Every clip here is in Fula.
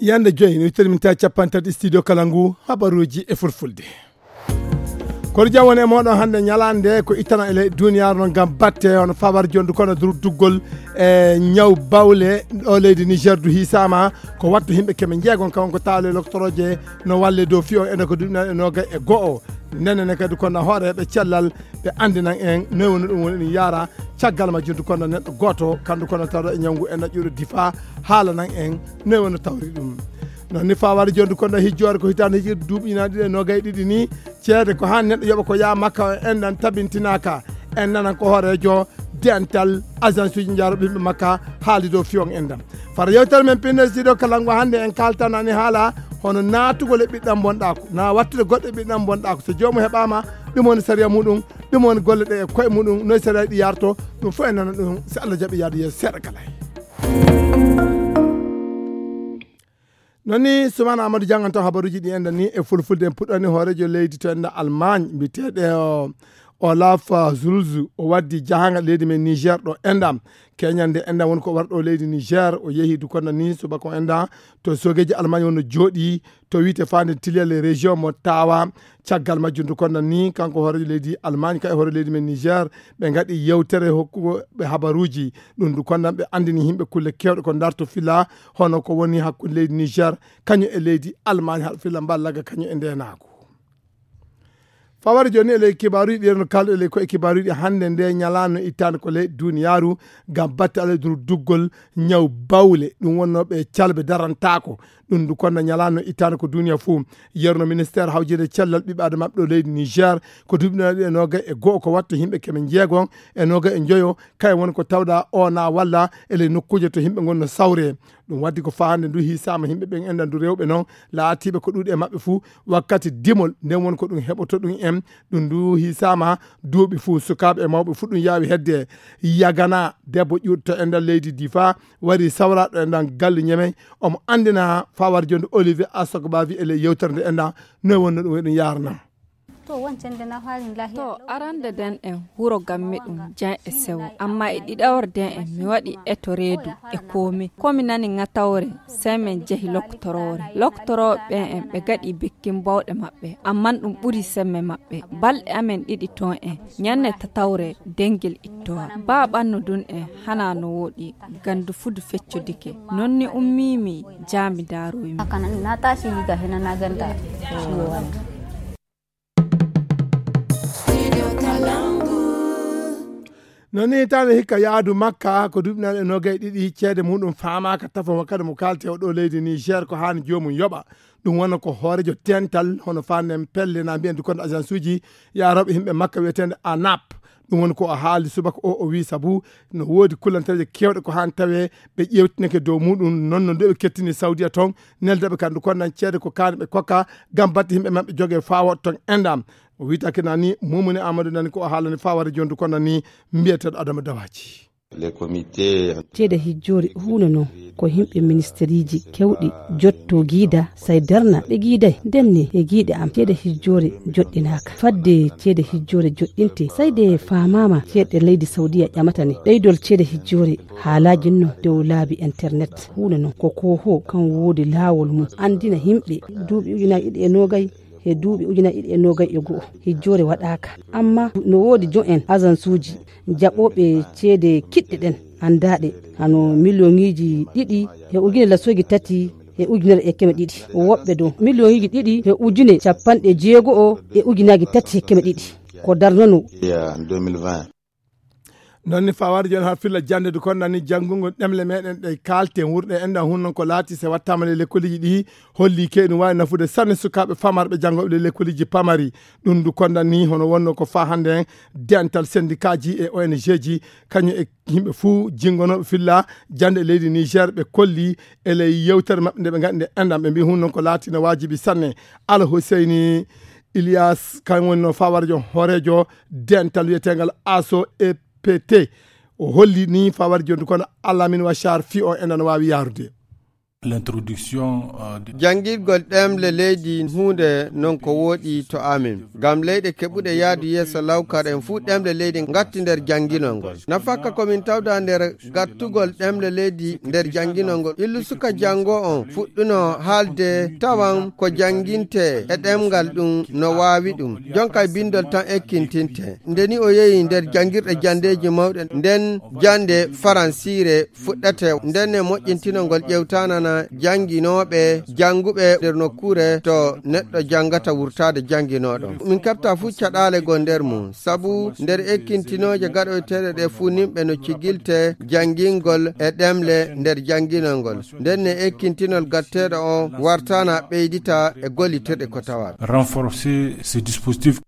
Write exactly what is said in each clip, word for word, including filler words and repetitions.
Yande joyi, no ittani min tawi capanɗe tati studio kala ngu, habaruuji e fulfulde. Kono jam woni e mooɗon hannde ñalaande ko ittana e ley duniyaaru noon ngam batte hono fabar jondu kono dur duggol e ñaw bawle ɗo leydi Niger du hisama ko wattu himɓe keme njeegon kawon ko taale loktorooje no walle dow fiyo ene ko duɗinal e noga e go'o. Nene ne kadi kono hooreɓe cellal ɓe andinan en noy woni ɗum woni ɗum yaara caggal majjum du kono neɗɗo gooto kandu kono tawɗo e ñawngu e naƴƴuɗo difa haalanan en noy woni tawri ɗum. Non ni fawade jonde kono hijjoore ko hitande hijirde duuɓi ina ɗiɗi e nogay ɗiɗi ni ceede ko han neɗɗo yoɓa ko yaa makka o enɗan tabintinaka en nanan ko hoorejo dental agence uji jaroɓe yimɓe makka haali dow fiyon enɗam fara yewtere men pinnes ɗiɗo kala ngo hannde en kaltanani haala hono naatugol e ɓiɗɗam bonɗako na wattude goɗɗo e ɓiɗɗam bonɗako so joomum heɓama ɗum woni sariya muɗum ɗum woni golle ɗe e koye muɗum noy sariya ɗi yarto ɗum fof en nana ɗum so allah jaɓi yaade yeeso seeɗa kala. Non ni Soumana Amadou jannganto habaruuji ɗi enɗan ni e fulfulde en puɗɗani hoorejo leydi to enɗan Allemagne mbiyeteeɗo Olaf Scholz o waddi jahaangal leydi men Niger ɗo enɗan keñande enɗan woni ko warɗo leydi Niger o yehi du kono ni subaka o enɗan to sogeji Allemagne wonno jooɗi to wiite fande tiliyal e région mo tawa caggal majjum du kono ni kanko hoorejo leydi Allemagne kay hoore leydi men Niger ɓe gaɗi yewtere hokkugo ɓe habaruuji ɗum du kono ɓe andini yimɓe kulle kewɗe ko darto fila hono ko woni hakkunde leydi Niger kañum e leydi Allemagne haɗa filla mballaga kañum e ndenagu. Fawade joni e ley kibaruji ɗi no kalɗo e ley ko e kibaruji hannde nde ñalano ittande ko ley duniyaru ngam batte alay dur duggol ñaw bawle ɗum wonno ɓe calɓe darantako ɗum du kono ñalano ittande ko duniya fuu yerno ministère hawjinde cellal ɓiɓɓe adama ɗo leydi Niger ko duɓinaɗo e noga e go'o ko watta yimɓe keme jeegon e noga e joyo kay woni ko tawɗa o na walla e ley nokkuuje to yimɓe gonno sawre ɗum waddi ko fahande ndu hisama yimɓe ɓen enɗan ndu rewɓe noon laatiɓe ko ɗuuɗi e maɓɓe fuu wakkati dimol nden woni ko ɗum heɓoto ɗum en ɗum ndu hisama duuɓi fuu sukaaɓe e mawɓe fuu ɗum yaawi hedde yagana debbo ƴuutto enɗan leydi difa wari sawraɗo enɗan galle ñemey omo andina fawar jonde olivier asogbavi e ley yewtere nde enɗan noy wonno ɗum eɗum yaranam To, arande den en wuro gamme ɗum jan e sewo, amma e ɗiɗawre den en mi waɗi eto reedu e komi. Komi nani ŋatawre, sey men jehi loktorore. Loktorooɓe ɓen en ɓe gaɗi bekkin bawɗe maɓɓe, amman ɗum ɓuri semme maɓɓe. Balɗe amen ɗiɗi ton en, ñanne tatawre dengel ittowa. Ba ɓannu dun en hana no woɗi, gandu fudu feccodike. Non ni ummimi, jaami daaroymi. No ni tawde hikka yaadu makka ko duuɓi nayi e noogay ɗiɗi ceede muɗum faamaaka tafo mo kadi mo kaalte o ɗo leydi Niger ko haani joomum yoɓa. Ɗum wona ko hoorejo tental hono fanden pelle na mbiyen du konde agence uji yaarooɓe himɓe makka wiyeteende anap. Ɗum woni ko o haali subaka o o wii sabu no woodi kullanteeje kewɗe ko haani tawee ɓe ƴeewtineke dow muɗum noon no nde ɓe kettini sawdiya toon neldaɓe kandu konnan ceede ko kaani ɓe kokka ngam batte yimɓe maɓɓe jogee faawa toon enɗam. O witaki nani mumuni amadou nani ko o haalani fawade jondu kono ni mbiyeteɗo adama dawaji. Ceede hijjoore huunde noon ko yimɓe ministeriiji kewɗi jotto giida say darna ɓe giiday ndenne e giiɗe am ceede hijjoore joɗɗinaaka fadde ceede hijjoore joɗɗinte sayde faamaama ceeɗe leydi sawdiya ƴamata ne ɓeydol ceede hijjoore haalaaji no dow laabi internet huunde noon ko koohoo kan woodi laawol mum anndina yimɓe duuɓi ujunaaji ɗiɗi e noogay e duuɓi ujunaaji ɗiɗi e noogay e go'o hijjoore waɗaaka amma no woodi jo'en agensuuji jaɓooɓe ceede kiɗɗe ɗen anndaaɗe hano miliyoŋiiji ɗiɗi e ujune lasoji tati e ujunere e keme ɗiɗi woɓɓe dow miliyoŋiiji ɗiɗi e ujune capanɗe jeego'o e ujunaaji tati e keme ɗiɗi ko darnano. Noon ni fawaade jooni haa filla jannde du konnani janngungo ɗemle meɗen ɗe kaalten wurɗe enɗan hun noon ko laati se wattaama le lekkoliji ɗi holli ke ɗum waawi nafude sanne sukaaɓe famarɓe janngooɓe le lekkoliji pamari ɗum du konnani hono wonno ko faa hannde en dental sendikaaji e ong ji kañum e yimɓe fuu jinngonooɓe filla jannde e leydi niger ɓe kolli e ley yewtere maɓɓe nde ɓe ngaɗi nde enɗan ɓe mbi hun noon ko laati no waajibi sanne. Ala huseyni Ilias kan woni no fawarjo hoorejo dental wiyeteengal aso e p t o holli ni fawar jonti kono alamin wachar fi o enɗan waawi yaarude. L'introduction, euh, de- Janngirgol ɗemle leydi huunde noon ko wooɗi to amin. Ngam leyɗe keɓuɗe yaadu yeeso lawkar en fuu ɗemle leydi ngatti nder jannginol ngol. Nafakka ko min tawda nder gattugol ɗemle leydi nder jannginol ngol. Illu suka janngo on fuɗɗuno haalde tawan ko jannginte e ɗemngal ɗum no waawi ɗum. Jonka e binndol tan ekkintinte. Nde ni o yehi nder janngirɗe janndeeji mawɗe nden jannde faransiire fuɗɗete nden e moƴƴintinol ngol ƴewtanana jannginooɓe, jannguɓe nder nokkuure to neɗɗo janngata wurtaade jannginooɗo. Min keɓta fuu caɗaale goo nder mum, sabu nder ekkintinooje gaɗoyteeɗe ɗe fuu nimɓe no cigilte janngingol e ɗemle nder jannginol ngol. Nden ne ekkintinol gatteeɗo o wartana ɓeydita e gollitirɗe ko tawa. Renforcer ce dispositif.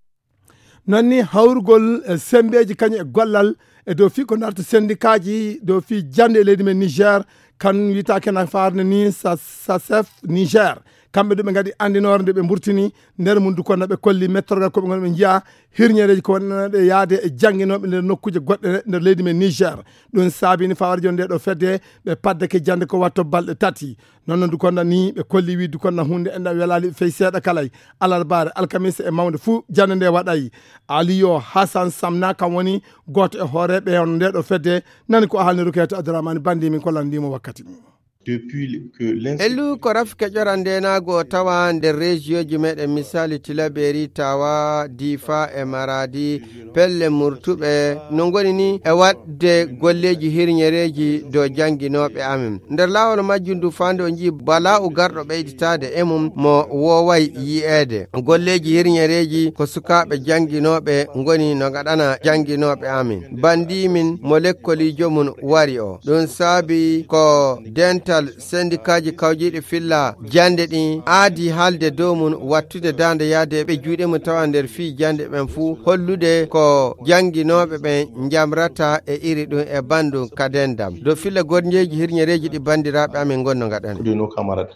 Noon ni hawrugol, eh, semmbeeji kañum e gollal e dow fii ko ndarta senndikaaji dow fii jannde e leydi men Niger, kan wiyetaake na faarde ni sa-, sasef Niger. Kamɓe ɗum ɓe ngaɗi anndinoore nde ɓe mburtini nder mum du kono ɓe kolli mettorgal ko ɓe ngon ɓe njiya hirñereeji ko wonɗe yaade e jannginooɓe nder nokkuuje goɗɗe nder leydi men Niger. Ɗum saabini fawarjo nde ɗo fedde ɓe paddake jannde ko watto balɗe tati. Noon no Dukonda ni ɓe kolli wi Dukonda hunde enɗa welali fey seeɗa kalay alarbaare, alkamisa e mawnde fuu jannde nde waɗay. Aliyo Hassan Samna kam woni gooto e hooreeɓe on nde ɗo fedde, nani ko haalni Rukayatu Abdourahmane Bandi min ko lanndimo wakkati mum. Depuis que l'insécurité Elu ko rafi keƴora ndenaagu o tawa nder région ji meɗen misali Tilaberi, Tawa, Difa e Maradi. Pelle murtuɓe no ngoni ni e waɗde golleeji hirñereeji dow jannginooɓe amen. Nder laawol majjum du faande o njii bala'u garɗo ɓeyditaade e mum mo wooway yi'eede. Golleeji hirñereeji ko sukaaɓe jannginooɓe ngoni no ngaɗana jannginooɓe amen. Bandi min mo lekkoliijo mum wari o. Ɗum saabi ko dental sendikaaji kawjiiɗi filla jannde ɗin aadi haalde dow mum wattude daande yaade ɓe juuɗe mum tawa nder fii jannde ɓen fuu hollude ko jannginooɓe ɓen njamrata e iri ɗum e banndum ka denndam. Dow filla gornjeeji hirñereeji ɗi banndiraaɓe amen ngonno ngaɗani.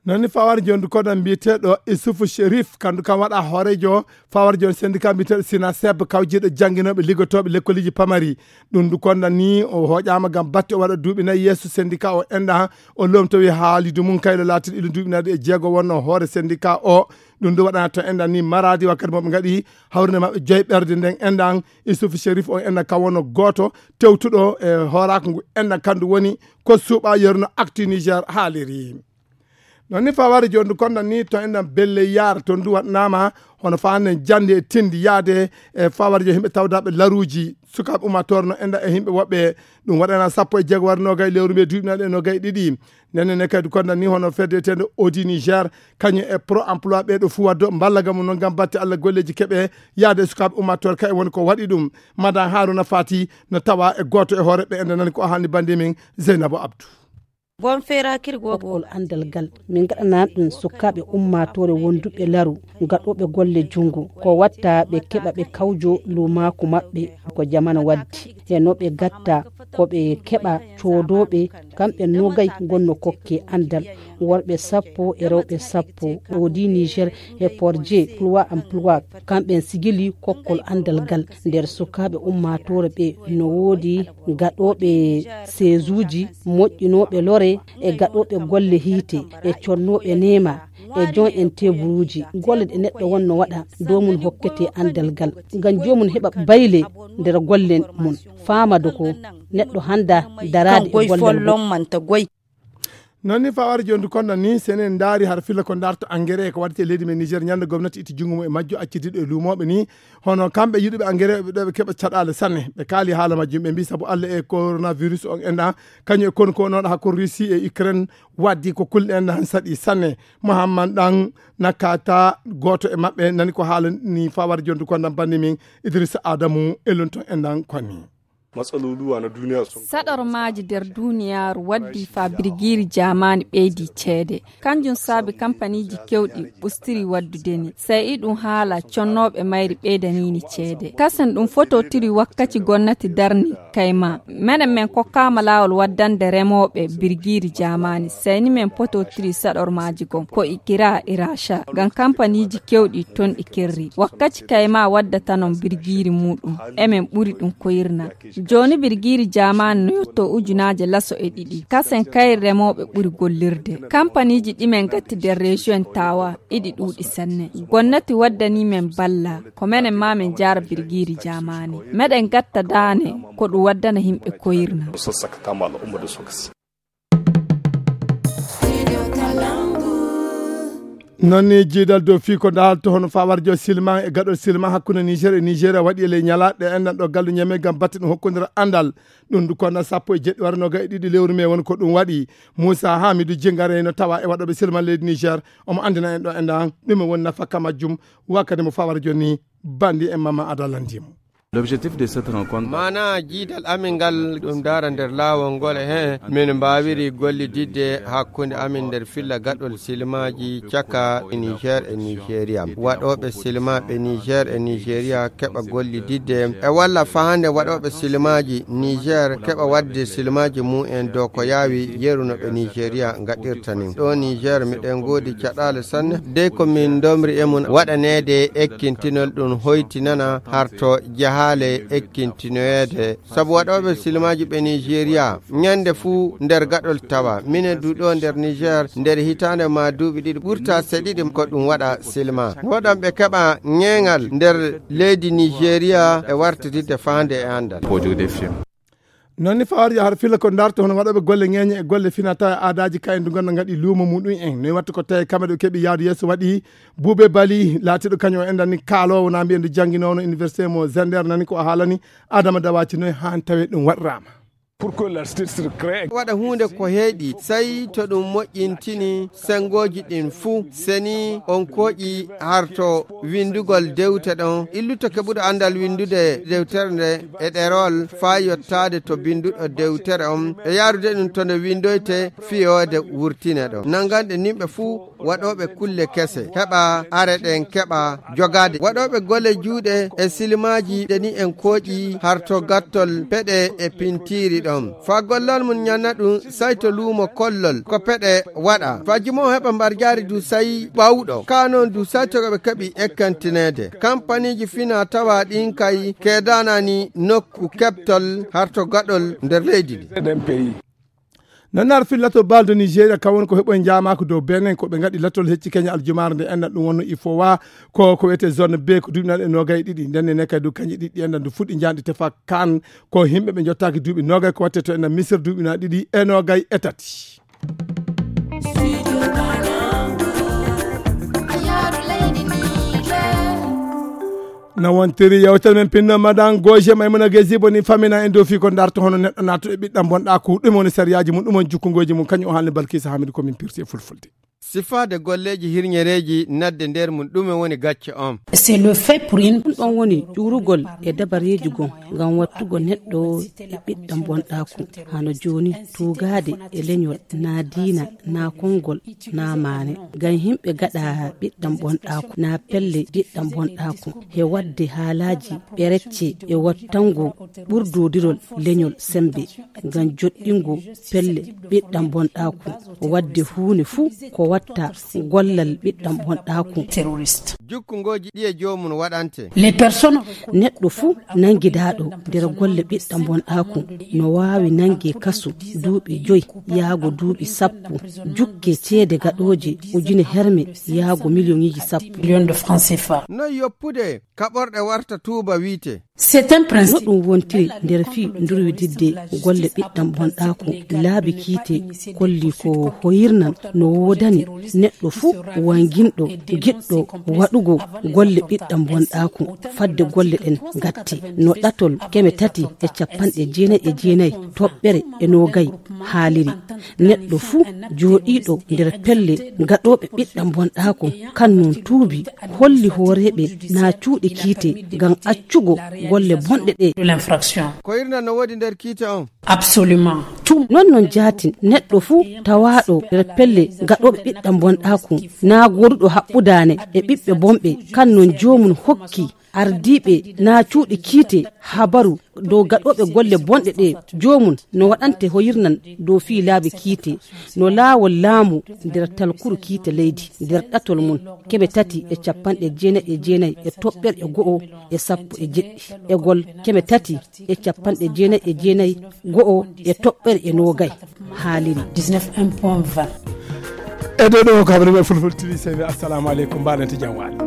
Noon ni fawar jondu koɗo mbiyeteeɗo Isufu Sherif, kandu kam waɗa hooreejo fawar jon sendika mbiyeteeɗo Sina Seb kawjiiɗo jannginooɓe liggotooɓe lekkoliji pamari. Ɗum ndu konda ni o hooƴaama ngam batte o waɗa duuɓi nayi yeeso sendika o enɗa o lomtowi haalidu mum kayɗo laatiɗo ilo duuɓi nayi e jeego wonno hoore sendika o. Ɗum ndu waɗana to enɗa ni Maradi wakkati mo ɓe ngaɗi hawrinde maɓɓe joyi ɓerde nden enɗan Isufu Sherif on enɗa kam wonno gooto tewtuɗo e hooraaku ngu enɗan kandu woni ko suuɓa yeruno Actu Niger haaliri. Noon ni faware jooni ndu konɗan ni to enɗan belle yaar toon ndu waɗnaama hono faanden jannde e tinndi yahde e faware jo yimɓe tawdaaɓe laruuji sukaaɓe ummaatoore no enɗan e yimɓe woɓɓe. Ɗum waɗana sappo e jeego wara noogay lewru mbiye duuɓi naɗe e noogay ɗiɗi. Ndenne ne kadi konɗan ni hono fedde etende Audi Niger kañum e Pro Emploi ɓee ɗo fuu waddo mballagam mum noon ngam batte Allah golleeji keɓe yahde e sukaaɓe ummaatoore kay woni ko waɗi ɗum. Madan Haruna Fati no tawa e gooto e hoore ɓe enɗan nani ko haalni bannde min Zeynabo Abdou. Boom feeraakirgo. Kokkol anndal ngal min ngaɗanaa ɗum sukaaɓe ummaatoore wonduɓe laru gaɗooɓe golle junngo ko watta ɓe keɓa ɓe kawjo luumaaku maɓɓe ko jamana waddi e no ɓe gatta ko ɓe keɓa coodooɓe kamɓe nogay ngonno kokke anndal worɓe sappo e rewɓe sappo Audi Niger e Porje Ploie Emploi kamɓen sigili kokkol anndal ngal nder sukaaɓe ummaatoore ɓe no woodi gaɗooɓe seesuuji moƴƴinooɓe lore e gaɗooɓe golle hiite e connooɓe neema e jon en teburuuji golle ɗe neɗɗo wonno waɗa dow mum hokkete anndal ngal ngam joomum heɓa bayle nder golle mum faamado ko neɗɗo hannda daraade e golle mum. Noon ni faware jooni du konɗan ni senen ndaari har filla ko ndarta engrais ko waɗete e leydi men Niger ñande gomnati itti junngo mum e majjo accidiɗo e luumooɓe ni hono kamɓe yiɗuɓe engrais ɓe ɗo ɓe keɓa caɗaale sanne ɓe kaali haala majjum ɓe mbi sabu Allah e coronavirus on enɗa kañum e kon ko noon hakkunde Russie e Ukraine waddi ko kulɗen han saɗi sanne. Mohamman ɗan nakata gooto e maɓɓe nani ko haala ni faware jooni du konɗan banni min Idrissa Adamu e lunton enɗan koni. Matsaloluwa na duniya sun. Saɗormaaji nder duniyaaru waddi faa birgiiri jaamaani ɓeydi ceede. Kanjum saabi kampaniiji kewɗi ɓustiri waddude ni. Sey iɗum haala connooɓe mayri ɓeydaniini ceede. Kasen ɗum fototiri wakkaci gomnati darni kayma. Menen men kokkaama laawol waddande remooɓe birgiiri jaamaani. Sey ni men pototiri saɗormaaji gom ko Ikira e Raca. Ngam kampaniiji kewɗi ton ɗi kirri. Wakkaci kayma waddata non birgiiri muuɗum. Emen ɓuri ɗum koyirna. Jooni birgiiri jaamaani no yotto ujunaaje laso e ɗiɗi. Kasen kayri remooɓe ɓuri gollirde. Kampaniiji ɗi men gatti nder rejiyon Tawa iɗi ɗuuɗi sanne. Gonnati waddanii men balla, ko menen maa men jaara birgiiri jaamaani. Meɗen gatta daane ko ɗum waddana yimɓe koyirna. Noon ni jiidal dow fii ko daalto hono fawarjo silma e gaɗol silma hakkunde Niger e Nigeria waɗi e ley ñalaaɗe enɗan ɗo gallu ñame ngam batte ɗum hokkondira anndal. Ɗum ndu konna sappo e jeɗɗi wara noga e ɗiɗi lewru me woni ko ɗum waɗi. Moussa Hamidou Djingare no tawa e waɗoɓe silma leydi Niger. Omo anndina en ɗo enɗan ɗume woni nafaka majjum. Wakkati mo fawarjo ni bandi en mama ada landimo. L'objectif de cette rencontre. Maanaa jiidal amin ngal ɗum daara nder laawol ngol e heen min mbaawiri gollididde hakkunde amin nder filla gaɗol silmaaji caka Niger e Nigeria. Waɗooɓe silmaaɓe Niger e Nigeria keɓa gollididde e walla fahande waɗooɓe silmaaji Niger keɓa waɗde silmaaji mum en dow ko yaawi yeru no ɓe Nigeria ngaɗirta ni. Ɗo Niger miɗen ngoodi caɗaale sanne dey ko min ndomri e mum waɗaneede ekkintinol ɗum hoytinana harto jahaale ekkintinoyeede. Sabu waɗooɓe silmaaji ɓe Nigeria ñande fuu nder gaɗol tawa. Minen du ɗo nder Niger nder hitaande ma duuɓi ɗiɗi ɓurta seɗiɗi ko ɗum waɗa silma. Woɗan ɓe keɓa ñeeŋal nder leydi Nigeria e wartiridde faande e anndal. Noon ni fawarja har fila ko darto hono waɗooɓe golle ŋeeñe e golle fina tawa aadaaji kayen du ganndo ngaɗi luumo muɗum en. Noy watta ko tawi kamɓe ɗo keɓi yaadu yeeso waɗi Buube Bali laatiiɗo kañum o enɗan ni kaaloowo na mbiyen du jannginoono université mo Zender nani ko o haalani Adama Dawaci noy haan tawe ɗum waɗiraama. Waɗa huunde ko heeɗi, sey to ɗum moƴƴintini senngooji ɗin fuu. Seni on kooƴi harto winndugol dewte ɗon, illuto keɓuɗo anndal winndude dewtere nde e ɗerol faa yottaade to binnduɗo dewtere on, e yaarude ɗum to nde winndoyte fiyoode wurtine ɗon. Nannganɗe nimɓe fuu waɗooɓe kulle kese heɓa are ɗen keɓa jogaade. Waɗooɓe golle juuɗe e silmaaji ɗe ni en kooƴi harto gattol peɗe e pintiiri ɗon. Faa gollal mum ñanna ɗum sayto luumo kollol ko peɗe waɗa. Faa jimo heɓa mbarjaari du sayi ɓawɗo. Kaa noon du sayto ɓe keɓi ekkantineede. Kampaniiji fina tawa ɗin kay keedanani nokku keɓtol harto gaɗol nder leydi ndi. Noon ar fil lato baldo Nigeria kam woni ko heɓoy njaamaako dow Benin ko ɓe ngaɗi latol hecci Kenya aljumaare nde enɗan ɗum wonno ifowa ko ko wiyetee zone B ko duuɓi naɗe noogay e ɗiɗi nden ne kadi du kañƴe ɗiɗi enɗan du fuɗɗi njaanɗi tefa kan ko yimɓe ɓe jottaaki duuɓi noogay ko watte to enɗan Misir duuɓi na ɗiɗi e noogay e tati. No wontiri yewtere men pinno madan goje maymuna gesibo ni famina en dow fii ko darto hono neɗɗo naatuɗo e ɓiɗɗam bonɗaaku ɗum woni sariyaaji mum ɗum woni jukkungoji mum kañum o haalni Balkisa Hamidu ko min pirti e fulfulde. Sifaade golleeji hirñereeji nadde nder mum ɗume woni gacce on? C'est le fait pour une ɗum ɗon woni ƴuurugol e dabareeji gon ngam wattugo neɗɗo e ɓiɗɗam bonɗaaku hano jooni tuugaade e leñol naa diina naa konngol naa maane ngam yimɓe gaɗa ɓiɗɗam bonɗaaku naa pelle ɓiɗɗam bonɗaaku he waɗde haalaaji ɓe recce e wattango ɓurdodirol leñol semmbe ngam joɗɗingo pelle ɓiɗɗam bonɗaaku waɗde huunde fuu ko watta gollal ɓiɗɗam bonɗaaku. Jukkungoji ɗi e joomum waɗante. Les personnes neɗɗo fuu nanngidaaɗo nder golle ɓiɗɗam bonɗaaku no waawi nannge kasu duuɓi joy yaago duuɓi sappo jukke ceede gaɗooje ujune herme yaago miliyoŋiiji sappo. Million de francs C F A. Noy yoppude kaɓorɗe warta tuuba wiite? C'est un principe. No ɗum wontiri nder fii ndurwididde golle ɓiɗɗam bonɗaaku laabi kiite kolli ko hoyirnan no woodani neɗɗo fuu wanginɗo giɗɗo waɗugo golle ɓiɗɗam bonɗaaku fadde golle ɗen gatti no ɗatol keme tati e capanɗe jeenayi e jeenayi toɓɓere e noogay haaliri. Neɗɗo fuu jooɗiiɗo nder pelle gaɗooɓe ɓiɗɗam bonɗaaku kan non tuubi holli hooreeɓe naa cuuɗi kiite ngam accugo golle bonɗe ɗe. Ko hirna no woodi nder kiite on? Absolument. Tout. Non non jaatin neɗɗo fuu tawaaɗo nder pelle gaɗooɓe ɓiɗɗam bonɗaaku, naa gooduɗo haɓɓudaane e ɓiɓɓe bonɓe, kan non joomum hokki ardiiɓe naa cuuɗi kiite habaru dow gaɗooɓe golle bonɗe ɗe, joomum no waɗante hoyirnan dow fii laabi kiite, no laawol laamu nder talkuru kiite leydi nder ɗatol mum keme tati e capanɗe jeenayi e jeenayi e toɓɓere e go'o e sappo e jeɗɗi, egol keme tati e capanɗe jeenayi e jeenayi go'o e toɓɓere e noogay haaliri. Dix-neuf point vingt. E ɗo ɗo kabarin e fulfultiri sewi. Assalamu aleykum, mbaɗen to jam waali.